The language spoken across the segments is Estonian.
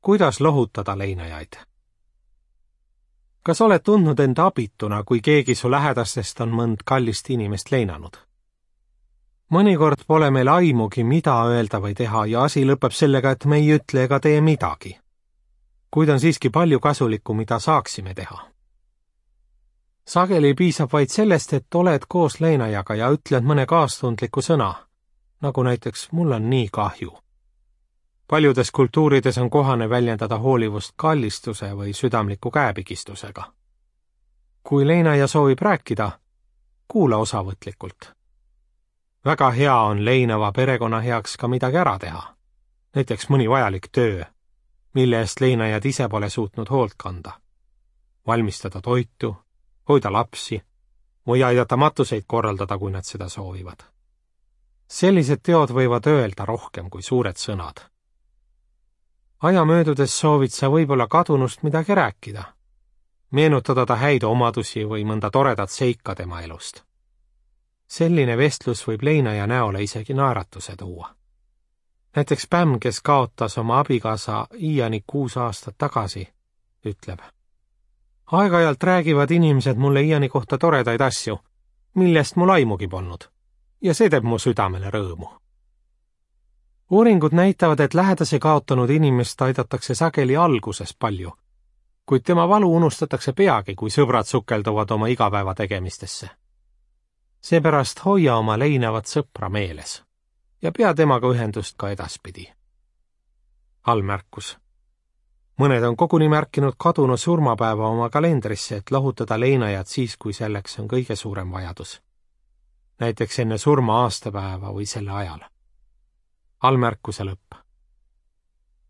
kuidas lohutada leinajaid. Kas oled tundnud end abituna, kui keegi su lähedastest on mõnd kallist inimest leinanud? Mõnikord pole meil aimugi, mida öelda või teha ja asi lõpeb sellega, et me ei ütle ega tee midagi. Kuid on siiski palju kasulikku, mida saaksime teha. Sageli piisab vaid sellest, et oled koos leinajaga ja ütled mõne kaastundliku sõna, nagu näiteks mul on nii kahju. Paljudes kultuurides on kohane väljendada hoolivust kallistuse või südamliku käepigistusega. Kui leinaja soovib rääkida, kuula osavõtlikult. Väga hea on leinava perekonna heaks ka midagi ära teha, näiteks mõni vajalik töö, mille eest leinajad ise pole suutnud hoolt kanda. Valmistada toitu, hoida lapsi või aidata matuseid korraldada, kui nad seda soovivad. Sellised teod võivad öelda rohkem kui suured sõnad. Aja möödudes soovid sa võib-olla kadunust midagi rääkida, meenutada ta häid omadusi või mõnda toredat seika tema elust. Selline vestlus võib leinaja näole isegi naeratuse tuua. Näiteks Pämm, kes kaotas oma abikaasa Iani 6 aastat tagasi, ütleb: aeg-ajalt räägivad inimesed mulle Iani kohta toredaid asju, millest mul aimugi polnud, ja see teeb mu südamele rõõmu. Uuringud näitavad, et lähedase kaotanud inimest aidatakse sageli alguses palju, kuid tema valu unustatakse peagi, kui sõbrad sukelduvad oma igapäeva tegemistesse. Seepärast hoia oma leinavat sõpra meeles ja pea temaga ühendust ka edaspidi. Allmärkus. Mõned on koguni märkinud kadunu surmapäeva oma kalendrisse, et lohutada leinajad siis, kui selleks on kõige suurem vajadus. Näiteks enne surma aastapäeva või selle ajal. Allmärkuse lõpp.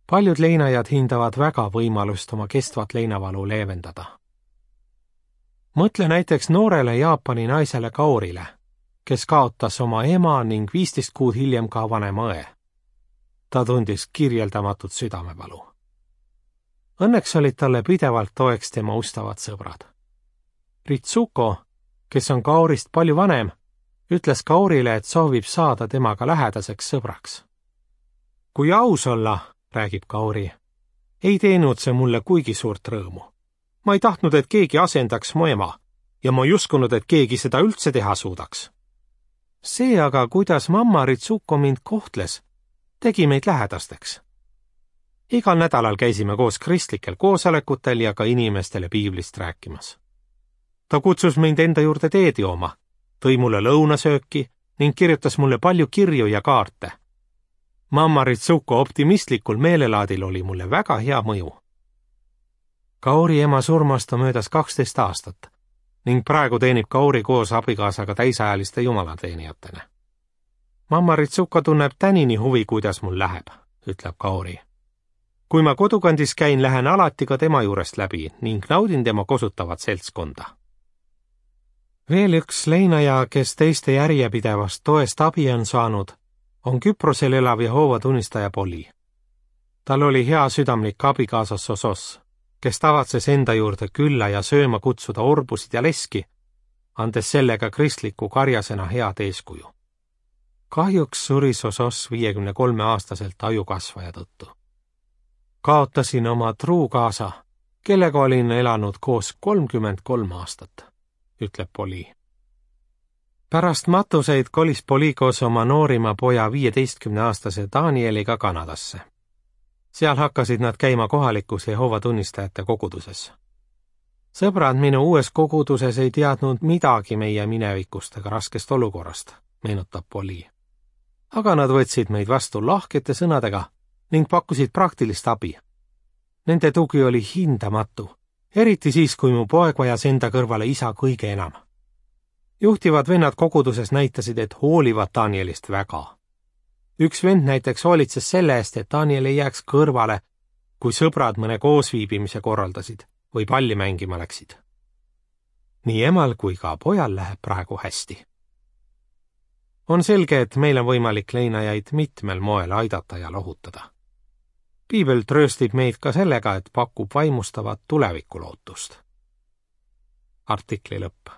Paljud leinajad hindavad väga võimalust oma kestvat leinavalu leevendada. Mõtle näiteks noorele Jaapani naisele Kaorile, kes kaotas oma ema ning 15 kuud hiljem ka vanema õe. Ta tundis kirjeldamatut südamevalu. Õnneks olid talle pidevalt toeks tema ustavad sõbrad. Ritsuko, kes on Kaorist palju vanem, ütles Kaorile, et soovib saada temaga lähedaseks sõbraks. Kui aus olla, räägib Kaori, ei teinud see mulle kuigi suurt rõõmu. Ma ei tahtnud, et keegi asendaks mu ema ja ma ei uskunud, et keegi seda üldse teha suudaks. See aga, kuidas mamma Ritsuko mind kohtles, tegi meid lähedasteks. Igal nädalal käisime koos kristlikel koosolekutel ja ka inimestele piiblist rääkimas. Ta kutsus mind enda juurde teed jooma, tõi mulle lõunasööki ning kirjutas mulle palju kirju ja kaarte. Mamma Ritsuko optimistlikul meelelaadil oli mulle väga hea mõju. Kaori ema surmast on möödas 12 aastat ning praegu teenib Kaori koos abikaasaga täisajaliste jumalateenijatena. Mamma Ritsuko tunneb tänini huvi, kuidas mul läheb, ütleb Kaori. Kui ma kodukandis käin, lähen alati ka tema juurest läbi ning naudin tema kosutavat seltskonda. Veel üks leinaja, kes teiste järjepidevast toest abi on saanud, on Küprosel elav Jehoova tunnistaja Poli. Tal oli hea südamlik abikaasa Sosos, kes tavatses enda juurde külla ja sööma kutsuda orbusid ja leski, andes sellega kristliku karjasena head eeskuju. Kahjuks suri Sosos 53-aastaselt ajukasvaja tõttu. Kaotasin oma truukaasa, kellega olin elanud koos 33 aastat, ütleb Poli. Pärast matuseid kolis Poli koos oma noorima poja 15-aastase Danieliga Kanadasse. Seal hakkasid nad käima kohalikus Jehoova tunnistajate koguduses. Sõbrad minu uues koguduses ei teadnud midagi meie minevikust ega raskest olukorrast, meenutab Poli. Aga nad võtsid meid vastu lahkete sõnadega ning pakkusid praktilist abi. Nende tugi oli hindamatu, eriti siis, kui mu poeg vajas enda kõrvale isa kõige enam. Juhtivad vennad koguduses näitasid, et hoolivad Danielist väga. Üks vend näiteks hoolitses selle eest, et Daniel ei jääks kõrvale, kui sõbrad mõne koosviibimise korraldasid või palli mängima läksid. Nii emal kui ka pojal läheb praegu hästi. On selge, et meil on võimalik leinajaid mitmel moel aidata ja lohutada. Piibel trööstib meid ka sellega, et pakub vaimustavat tulevikulootust. Artikli lõpp.